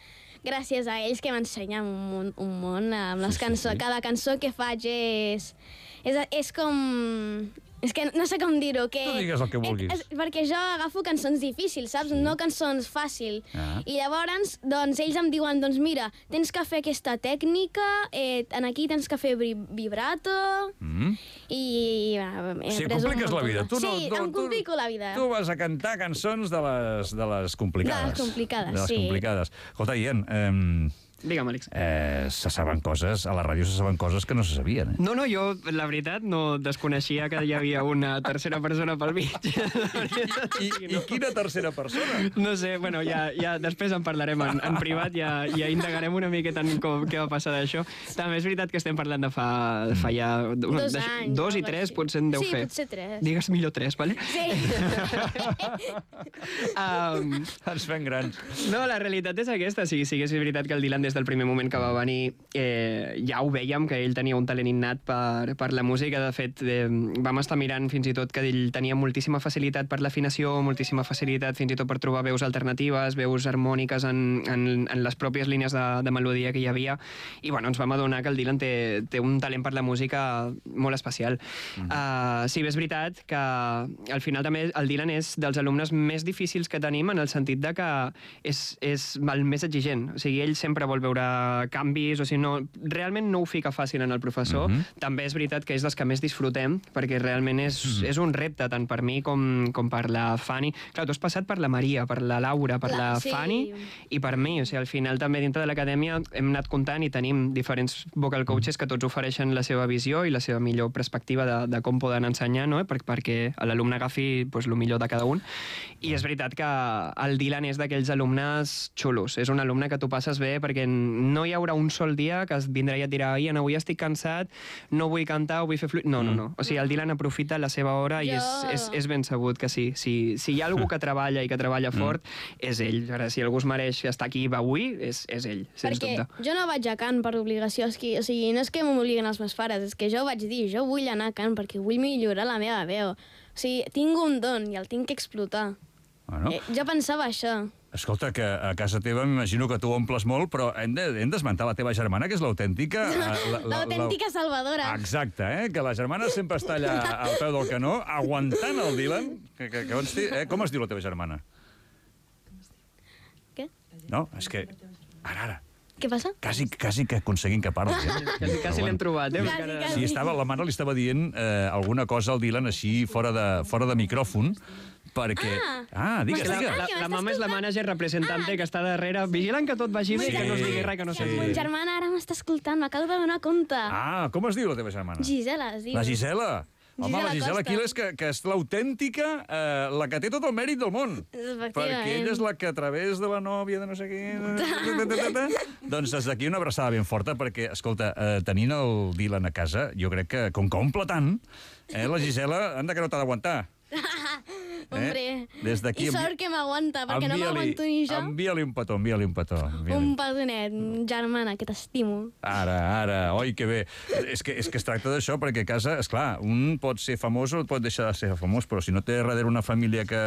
gràcies a ells que m'ensenyen un, món- un món amb les Sí, sí, cançons. sí. Cada cançó que faig és, és, és com... És que no sé com dir-ho, que... Tu digues el que vulguis. És, és, perquè jo agafo cançons difícils, saps? No cançons fàcil. Ah. I llavors, doncs, ells em diuen, doncs mira, tens que fer aquesta tècnica, eh, en aquí tens que fer vi- vibrato, Mm. i... eh, he Sí, après un compliques la munt vida. de- Tu no, sí, tu, em tu- complico la vida. Tu vas a cantar cançons de les, de les complicades. De les complicades, de les sí. complicades. Escolta, Ian, eh, Digue'm, Àlex. eh, se saben coses, a la ràdio se saben coses que no se sabien, eh? No, no, jo, la veritat, no desconeixia que hi havia una tercera persona pel mig. I, I quina tercera persona? No sé, bueno, ja, ja després en parlarem en, en privat, ja, ja indagarem una miqueta en com, què va passar d'això. També és veritat que estem parlant de fa, fa ja... Dos de, anys. Dos i algo tres així. potser en deu sí, fer. potser tres. Digues millor tres, vale? Sí. um, Ens fem grans. No, la realitat és aquesta. Si, sí que és veritat que el Dylan des del primer moment que va venir eh, ja ho vèiem, que ell tenia un talent innat per, per la música. De fet, eh, vam estar mirant fins i tot que ell tenia moltíssima facilitat per l'afinació, moltíssima facilitat fins i tot per trobar veus alternatives, veus harmòniques en, en, en les pròpies línies de, de melodia que hi havia. I bueno, ens vam adonar que el Dylan té, té un talent per la música molt especial. Mm. Uh, sí, bé, és veritat que al final també el Dylan és dels alumnes més difícils que tenim en el sentit de que és, és el més exigent. O sigui, ell sempre vol veure canvis, o sigui, no, realment no ho fica fàcil en el professor. Mm-hmm. També és veritat que és dels que més disfrutem, perquè realment és, mm-hmm. és un repte, tant per mi com, com per la Fanny. Clar, tu has passat per la Maria, per la Laura, per la, La- la sí. Fanny i per mi. O sigui, al final també dintre de l'acadèmia hem anat comptant i tenim diferents vocal coaches que tots ofereixen la seva visió i la seva millor perspectiva de, de com poden ensenyar, no? per, perquè l'alumne agafi pues, el millor de cada un. I és veritat que el Dylan és d'aquells alumnes xulos. És un alumne que tu passes bé perquè no hi haurà un sol dia que es vindrà i et dirà Ian, avui estic cansat, no vull cantar, vull fer fluid... No, no, no. O sigui, el Dylan aprofita la seva hora i Jo- és, és, és ben sabut que sí. Si, si hi ha algú que treballa i que treballa fort, és ell. Ara, si algú es mereix estar aquí avui, és, és ell, sens Perquè dubte. jo no vaig a Cant per obligació, és que, o sigui, no és que m'obliguen els meus pares, és que jo vaig dir, jo vull anar a Cant perquè vull millorar la meva veu. O sigui, tinc un don i el tinc que explotar. Bueno, Eh, jo pensava això. escolta, que a casa teva m'imagino que tu omples molt, però hem de- hem d'esmentar la teva germana, que és l'autèntica... eh, la- la- L'autèntica salvadora. Exacte, eh? Que la germana sempre està allà al peu del canó, aguantant el Dylan. Que, que, que consti, eh? Com es diu la teva germana? Què? No, és que... Ara, ara. Què passa? Quasi, quasi que aconseguim que parli. Eh? Quasi, quasi l'hem trobat, eh? Quasi, Perquè ara- quasi. Sí, estava, la mare li estava dient eh, alguna cosa al Dylan així fora de, fora de micròfon, perquè... Ah. digues, La, digues. la, Ah, que la m'està mama és la escoltant. manager representante que està darrere, vigilant que tot vagi bé i que no es digui res que no Sí. sé. Mon germana ara m'està escoltant, m'acabo de donar compte. Ah, com es diu la teva germana? Gisela, es diu. La Gisela. Home, la Gisela Aquiles, que, que és l'autèntica, eh, la que té tot el mèrit del món. Perquè ella és la que a través de la nòvia de no sé què... doncs des d'aquí una abraçada ben forta, perquè, escolta, eh, tenint el Dylan a casa, jo crec que, com que omple tant, eh, la Gisela, anda que no t'ha d'aguantar. Hombre, des d'aquí, i sort que m'aguanta, perquè no m'aguanto ni jo. Envia-li un petó, envia-li un petó. Envia un petonet, germana, que t'estimo. Ara, ara, oi, que bé. És que, és que es tracta d'això, perquè a casa, esclar, un pot ser famós o pot deixar de ser famós, però si no té darrere una família que,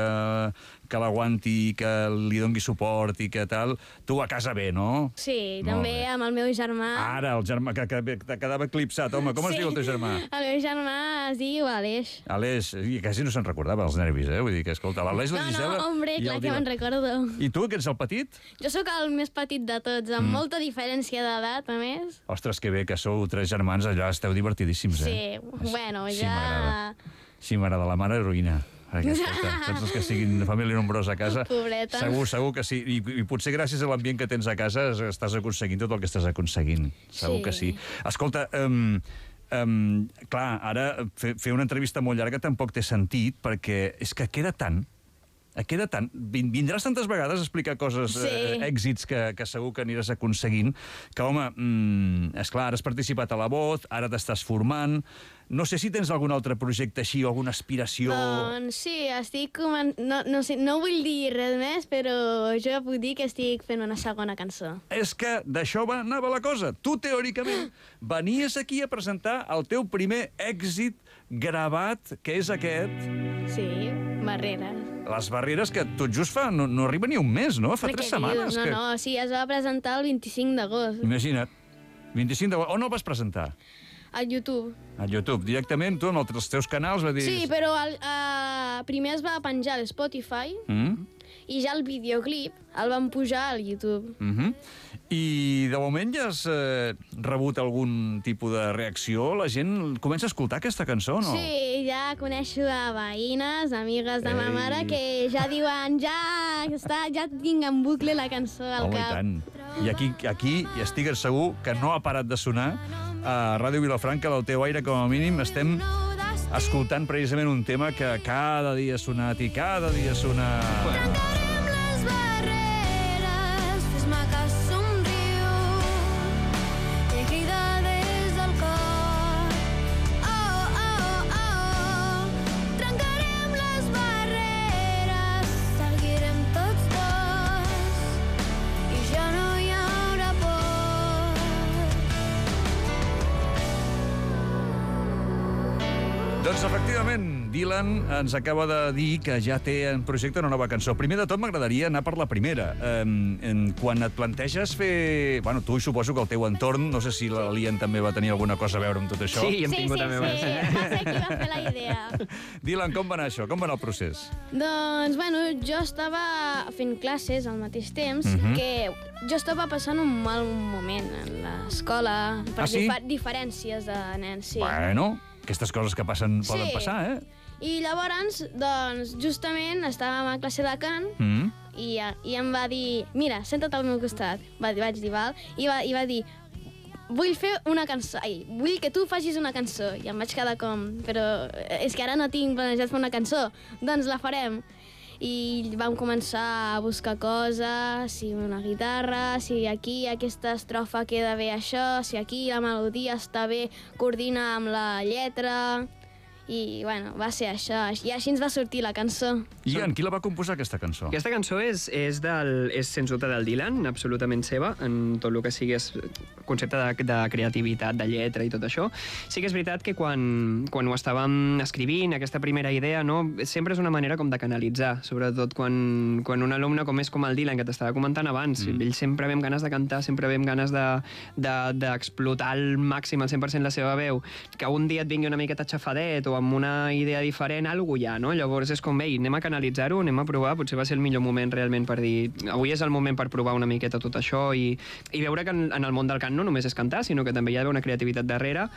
que l'aguanti, que li doni suport i que tal, tu a casa bé, no? Sí, Molt també bé. amb el meu germà. Ara, el germà que, que, que quedava eclipsat. Home, com es Sí. diu el teu germà? El meu germà es diu Aleix. Aleix, i quasi no se'n recordava els nervis, eh? Vull dir que, escolta, l'Aleix, la No, Gisela... no, hombre, i clar el que Dylan. me'n recordo. I tu, que ets el petit? Jo sóc el més petit de tots, amb mm. molta diferència d'edat, a més. Ostres, que bé, que sou tres germans, allà esteu divertidíssims, eh? Sí, bueno, Sí, ja... m'agrada. Sí, m'agrada, la mare heroïna. Perquè, escolta, tots els que siguin de família nombrosa a casa, Pobreta. segur, segur que sí. I, I potser gràcies a l'ambient que tens a casa estàs aconseguint tot el que estàs aconseguint. Segur Sí. que sí. Escolta, um, um, clar, ara fer, fer una entrevista molt llarga tampoc té sentit, perquè és que queda tant, queda tant. Vindràs tantes vegades a explicar coses, Sí. eh, èxits que, que segur que aniràs aconseguint, que, home, mm, esclar, ara has participat a La Voz, ara t'estàs formant... No sé si tens algun altre projecte així o alguna aspiració... Doncs sí, estic... comen- No, no, sé, no vull dir res més, però jo puc dir que estic fent una segona cançó. És que d'això va, anava la cosa. Tu, teòricament, venies aquí a presentar el teu primer èxit gravat, que és aquest... Sí, barreres. Les barreres que tot just fa... No, no arriba ni un mes, no? Fa Però tres què setmanes. dius? No, que... no, sí, es va presentar el vint-i-cinc d'agost, Imagina't. vint-i-cinc de... On el vas presentar? a YouTube. A YouTube. Directament, tu, amb els teus canals, va dir... Sí, però el, uh, primer es va penjar a Spotify Mm? i ja el videoclip el van pujar al YouTube. Mm -hmm. I de moment ja has eh, rebut algun tipus de reacció? La gent comença a escoltar aquesta cançó, no? Sí, ja coneixo a veïnes, amigues de ma Ei. mare, que ja diuen, ja està, ja tinc en bucle la cançó al Home, i cap. tant. I aquí, aquí i estigues segur que no ha parat de sonar a Ràdio Vilafranca, del teu aire, com a mínim, estem escoltant precisament un tema que cada dia ha sonat i cada dia sona... Trencarem les barreres, fes-me que somriu i crida des del cor. Oh, oh, oh, trencarem les barreres, seguirem tots dos i ja no hi haurà por. Doncs, efectivament, Dylan ens acaba de dir que ja té en projecte una nova cançó. Primer de tot, m'agradaria anar per la primera. Eh, quan et planteges fer... Bueno, tu suposo que el teu entorn, no sé si la Lian també va tenir alguna cosa a veure amb tot això. Sí, hem Sí, tingut sí, també... sí, va ser qui va fer la idea. Dylan, com va anar això? Com va anar el procés? Doncs, bueno, jo estava fent classes al mateix temps, Mhm. que jo estava passant un mal moment en l'escola, per Ah, sí? difer diferències de nens, sí. Bueno, aquestes coses que passen poden Sí. passar, eh? I llavors, doncs, justament estàvem a classe de cant Mm. i, i em va dir, mira, senta't al meu costat. Va, vaig dir, val? I va, i va dir, vull fer una cançó, ai, vull que tu facis una cançó. I em vaig quedar com, però és que ara no tinc planejat fer una cançó. Doncs la farem. I vam començar a buscar coses, si una guitarra, si aquí aquesta estrofa queda bé això, si aquí la melodia està bé, coordina amb la lletra... I, bueno, va ser això. I així ens va sortir la cançó. Ian, qui la va composar, aquesta cançó? Aquesta cançó és, és, del, és sens dubte del Dylan, absolutament seva, en tot el que sigui és concepte de, de creativitat, de lletra i tot això. Sí que és veritat que quan, quan ho estàvem escrivint, aquesta primera idea, no, sempre és una manera com de canalitzar, sobretot quan, quan un alumne com és com el Dylan, que t'estava comentant abans, mm. ell sempre ve amb ganes de cantar, sempre ve amb ganes d'explotar de, de, al màxim, al cent per cent la seva veu, que un dia et vingui una miqueta xafadet o amb una idea diferent, alguna hi ha, no? Llavors és com, ei, anem a canalitzar-ho, anem a provar, potser va ser el millor moment realment per dir, avui és el moment per provar una miqueta tot això i, i veure que en, en el món del cant no només és cantar, sinó que també hi ha una creativitat darrere.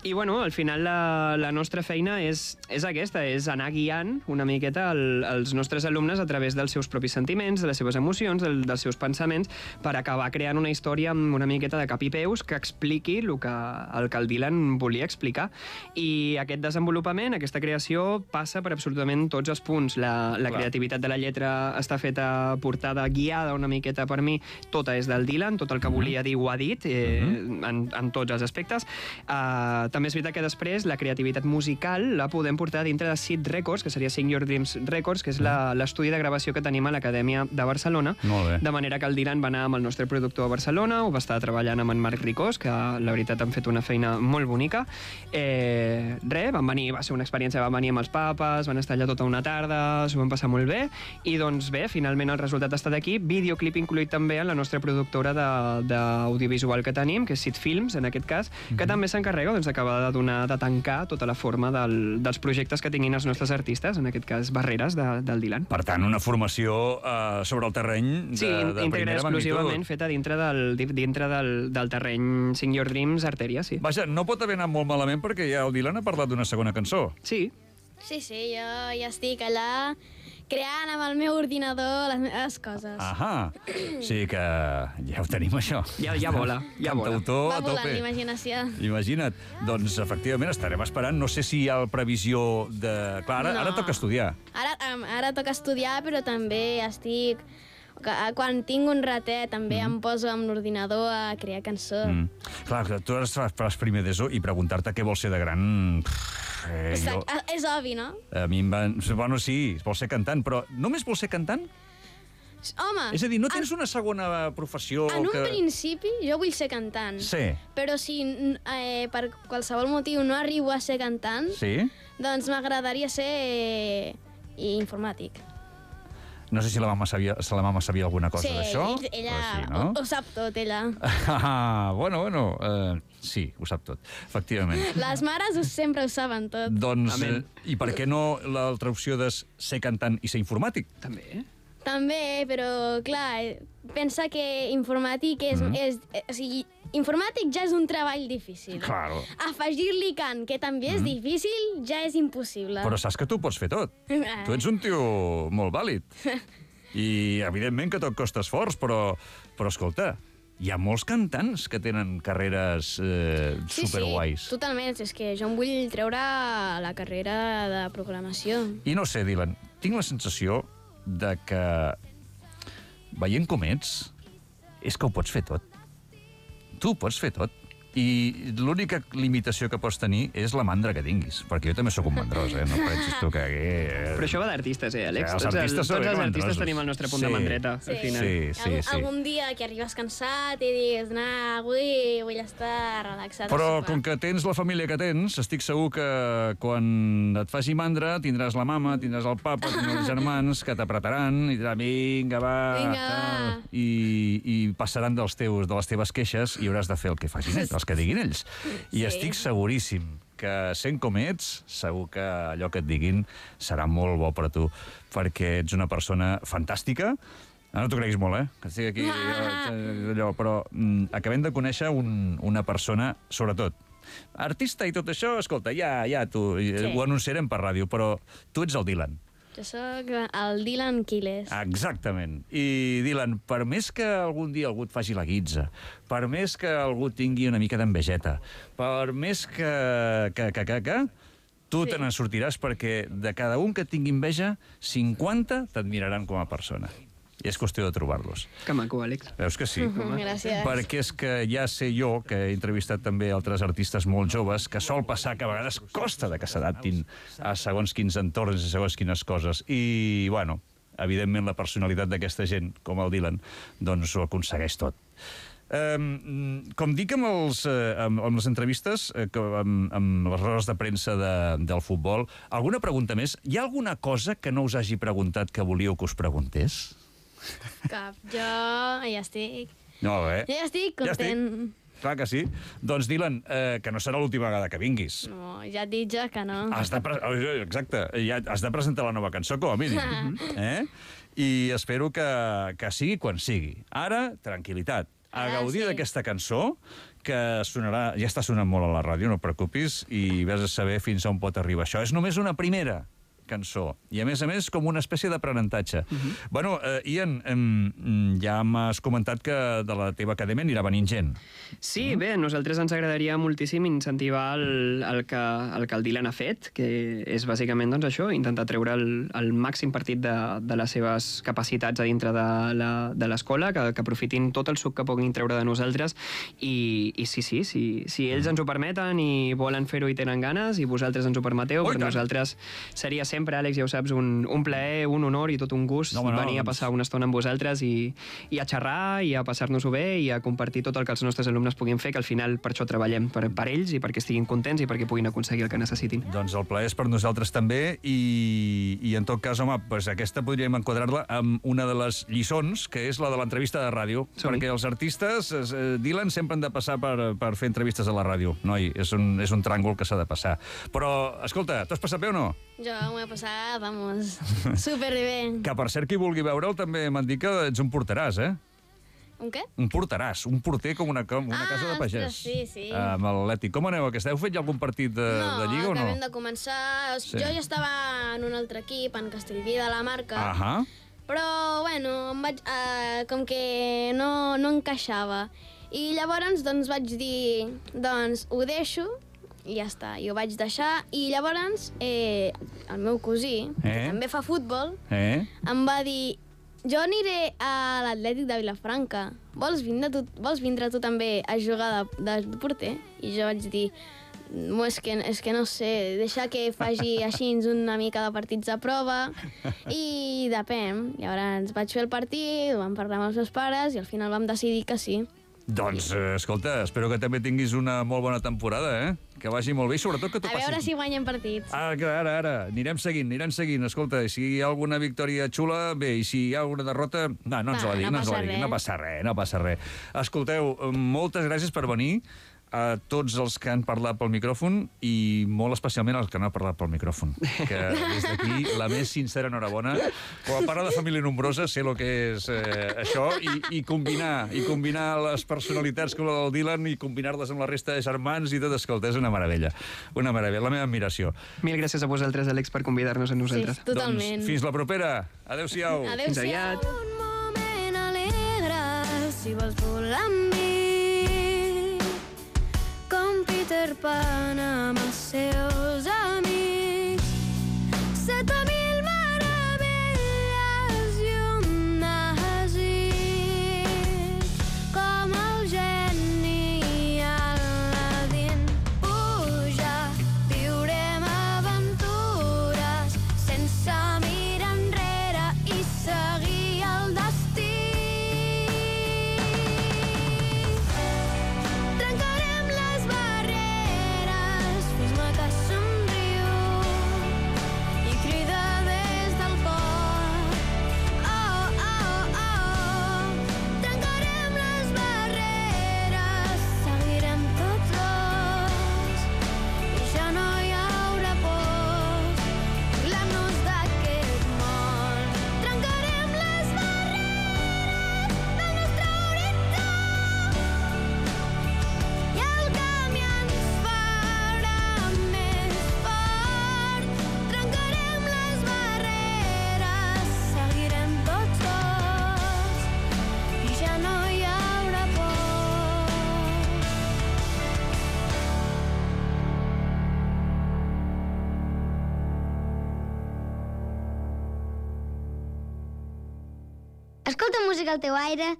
I, bueno, al final la, la nostra feina és, és aquesta, és anar guiant una miqueta el, els nostres alumnes a través dels seus propis sentiments, de les seves emocions, del, dels seus pensaments, per acabar creant una història amb una miqueta de cap i peus que expliqui el que el, que el Dylan volia explicar. I aquest desenvolupament desenvolupament, aquesta creació passa per absolutament tots els punts. La, la creativitat de la lletra està feta portada, guiada una miqueta per mi, tota és del Dylan, tot el que volia dir ho ha dit, eh, en, en tots els aspectes. Uh, també és veritat que després la creativitat musical la podem portar dintre de Sid Records, que seria Sing Your Dreams Records, que és l'estudi de gravació que tenim a l'Acadèmia de Barcelona. Molt bé. De manera que el Dylan va anar amb el nostre productor a Barcelona, ho va estar treballant amb en Marc Ricós, que la veritat han fet una feina molt bonica. Eh, res, van venir, va ser una experiència, van venir amb els papes, van estar allà tota una tarda, s'ho van passar molt bé, i doncs bé, finalment el resultat ha estat aquí, videoclip incluït també en la nostra productora d'audiovisual que tenim, que és Sid Films, en aquest cas, que mm-hmm. també s'encarrega doncs, d'acabar de donar, de tancar tota la forma del, dels projectes que tinguin els nostres artistes, en aquest cas Barreres, de, del Dylan. Per tant, una formació uh, sobre el terreny de, sí, de primera exclusivament magnitud. feta dintre del, dintre del, del terreny Sing Your Dreams Arteria, sí. Vaja, no pot haver anat molt malament perquè ja el Dylan ha parlat d'una segona cançó. Sí. Sí, sí, jo ja estic allà creant amb el meu ordinador les meves coses. Ahà, sí que ja ho tenim, això. Ja, ja vola, ja vola. Cantautor Va a volant tope. l'imaginació. Imagina't. Doncs, efectivament, estarem esperant. No sé si hi ha previsió de... Clar, ara, No. ara toca estudiar. Ara, em- ara toca estudiar, però també estic... que- Quan tinc un ratet, també em poso amb l'ordinador a crear cançó. Mm. Clar, que tu ara fas primer d'ESO i preguntar-te què vols ser de gran... Pff, Eh, És, jo, és obvi, no? a mi em van... Bueno, sí, vol ser cantant, però només vol ser cantant? Home, És a dir, no tens una segona professió en un que... principi jo vull ser cantant. Sí. Però si eh, per qualsevol motiu no arribo a ser cantant, Sí? doncs m'agradaria ser eh, informàtic. No sé si la mama sabia, si la mama sabia alguna cosa sí, d'això. ella però sí, no? ho, ho sap tot, ella. Ah, bueno, bueno, uh, sí, ho sap tot, efectivament. Les mares ho, sempre ho saben tot. Doncs, Amén. eh, i per què no l'altra opció de ser cantant i ser informàtic? També, eh? També, però, clar, eh, pensa que informàtic és... Mm. és eh, o sigui, informàtic ja és un treball difícil. Claro. Afegir-li cant, que també és difícil, ja és impossible. Però saps que tu pots fer tot. Tu ets un tio molt vàlid. I, evidentment, que tot costa esforç, però, però escolta, hi ha molts cantants que tenen carreres eh, Sí, superguais. sí, totalment. És que jo em vull treure la carrera de programació. I no sé, Dylan, tinc la sensació de que, veient com ets, és que ho pots fer tot. Tu ho pots fer tot. I l'única limitació que pots tenir és la mandra que tinguis, perquè jo també sóc un mandrós, eh? No pensis tu que... Eh... Però això va d'artistes, eh, Àlex? Sí, els Tots el- artistes són tots els artistes mandrosos. tenim el nostre punt Sí. de mandreta, Sí. al final. Sí, sí, Algun, sí. algun dia que arribes cansat i digues, nah, avui vull estar relaxat. Però a com sopar." que tens la família que tens, estic segur que quan et faci mandra tindràs la mama, tindràs el papa, tindràs els germans que t'apretaran i diran, vinga, va, Vinga, tal", va. i, i passaran dels teus, de les teves queixes i hauràs de fer el que facin ells, els que diguin ells. I Sí. estic seguríssim que sent com ets, segur que allò que et diguin serà molt bo per a tu, perquè ets una persona fantàstica. Ara no t'ho creguis molt, eh? Que estic aquí, eh, allò, però mm, acabem de conèixer un, una persona, sobretot, artista i tot això, escolta, ja, ja tu, Sí. ho anunciarem per ràdio, però tu ets el Dylan. Jo sóc el Dylan Quiles. Exactament. I, Dylan, per més que algun dia algú et faci la guitza, per més que algú tingui una mica d'envejeta, per més que... que, que, que, que tu Sí. te n'en sortiràs perquè de cada un que tingui enveja, cinquanta t'admiraran com a persona. I és qüestió de trobar-los. Que maco, Àlex. Veus que sí? Gràcies. Perquè és que ja sé jo, que he entrevistat també altres artistes molt joves, que sol passar que a vegades costa de que s'adaptin a segons quins entorns i segons quines coses. I, bueno, evidentment la personalitat d'aquesta gent, com el Dylan, doncs ho aconsegueix tot. Um, com dic amb, els, eh, amb, amb les entrevistes, eh, que, amb, amb les rodes de premsa de, del futbol, alguna pregunta més? Hi ha alguna cosa que no us hagi preguntat que volíeu que us preguntés? Cap. Jo ja estic... No, bé. Jo ja estic Ja estic. content. Clar que sí. Doncs, Dylan, eh, que no serà l'última vegada que vinguis. No, ja et dic jo que no. Has de pre... Exacte, ja has de presentar la nova cançó, com a mínim. eh? I espero que, que sigui quan sigui. Ara, tranquil·litat. A Ara gaudir sí. d'aquesta cançó, que sonarà, ja està sonant molt a la ràdio, no et preocupis, i vés a saber fins on pot arribar això. És només una primera, cançó. I, a més a més, com una espècie d'aprenentatge. Uh Mhm. -huh. Bueno, eh, Ian, eh, ja m'has comentat que de la teva acadèmia anirà venint gent. Sí, bé, a nosaltres ens agradaria moltíssim incentivar el, el, que, el que el Dylan ha fet, que és bàsicament doncs, això, intentar treure el, el màxim partit de, de les seves capacitats a dintre de la- de l'escola, que, que aprofitin tot el suc que puguin treure de nosaltres, i, i sí, sí, sí, si ells ens ho permeten i volen fer-ho i tenen ganes, i vosaltres ens ho permeteu, Oh, i per tant. nosaltres seria sempre, Àlex, ja ho saps, un, un plaer, un honor i tot un gust No, home, no, venir a doncs- passar una estona amb vosaltres i, i a xerrar i a passar-nos-ho bé i a compartir tot el que els nostres alumnes puguin fer, que al final per això treballem, per, per ells i perquè estiguin contents i perquè puguin aconseguir el que necessitin. Doncs el plaer és per nosaltres també i, i en tot cas, home, pues aquesta podríem enquadrar-la amb una de les lliçons, que és la de l'entrevista de ràdio. Som-hi. Perquè els artistes, eh, Dylan, sempre han de passar per, per fer entrevistes a la ràdio. Noi, és un, és un tràngol que s'ha de passar. Però, escolta, t'ho has passat bé o no? Jo m'ho he passat, vamos, superbé. Que, per cert, qui vulgui veure'l també m'han dit que ets un porteràs, eh? Un què? Un porteràs, un porter com una, com una Ah, casa de pagès. ostres, sí, sí. Amb l'Atlètic. Com aneu aquesta? Heu fet ja algun partit de, no, de Lliga o no? acabem de començar. Sí. Jo ja estava en un altre equip, en Castellví de la Marca, Ahà. però, bueno, em vaig, eh, com que no, no encaixava. I llavors, doncs, vaig dir, doncs, ho deixo, i ja està, i ho vaig deixar. I llavors, eh, el meu cosí, Eh? que també fa futbol, Eh? em va dir, jo aniré a l'Atlètic de Vilafranca. Vols vindre, tu, vols vindre tu també a jugar de, de porter? I jo vaig dir, no, és, que, és que no sé, deixa que faci així una mica de partits de prova i depèn. Llavors vaig fer el partit, ho vam parlar amb els meus pares i al final vam decidir que sí. Doncs, eh, escolta, espero que també tinguis una molt bona temporada, eh? Que vagi molt bé i sobretot que t'ho A passis. veure si guanyen partits. Ah, que ara, ara. Anirem seguint, anirem seguint. Escolta, si hi ha alguna victòria xula, bé, i si hi ha alguna derrota... No, no ens Va, la digui, no no, ens la passa digui. res. No passa res, no passa res. Escolteu, moltes gràcies per venir a tots els que han parlat pel micròfon i molt especialment als que no han parlat pel micròfon. Que des d'aquí, la més sincera enhorabona. Quan parla de família nombrosa, sé el que és eh, això, i, i combinar i combinar les personalitats com la del Dylan i combinar-les amb la resta de germans i tot, escolta, és una meravella. Una meravella, la meva admiració. Mil gràcies a vosaltres, Àlex, per convidar-nos a nosaltres. Sí, totalment. Doncs fins la propera. Adéu-siau. Adéu-siau. Fins aviat. Un moment alegre, si vols volar amb mi, com Peter Pan amb els seus amics. Set mil meravelles i un desig, com el geni Aladdin. Puja, viurem aventures sense mirar enrere i seguir el destí. Trencarem les barreres, fes-me que somriu i crida des del cor. Oh, oh, oh. Trencarem les barreres, seguirem tots dos i ja no hi haurà pors. Burlant-nos d'aquest món. Trencarem les barreres del nostre horitzó i el camí ens farà més fort. Trencarem les barreres, seguirem tots dos i ja no hi haurà por. Escolta música al teu aire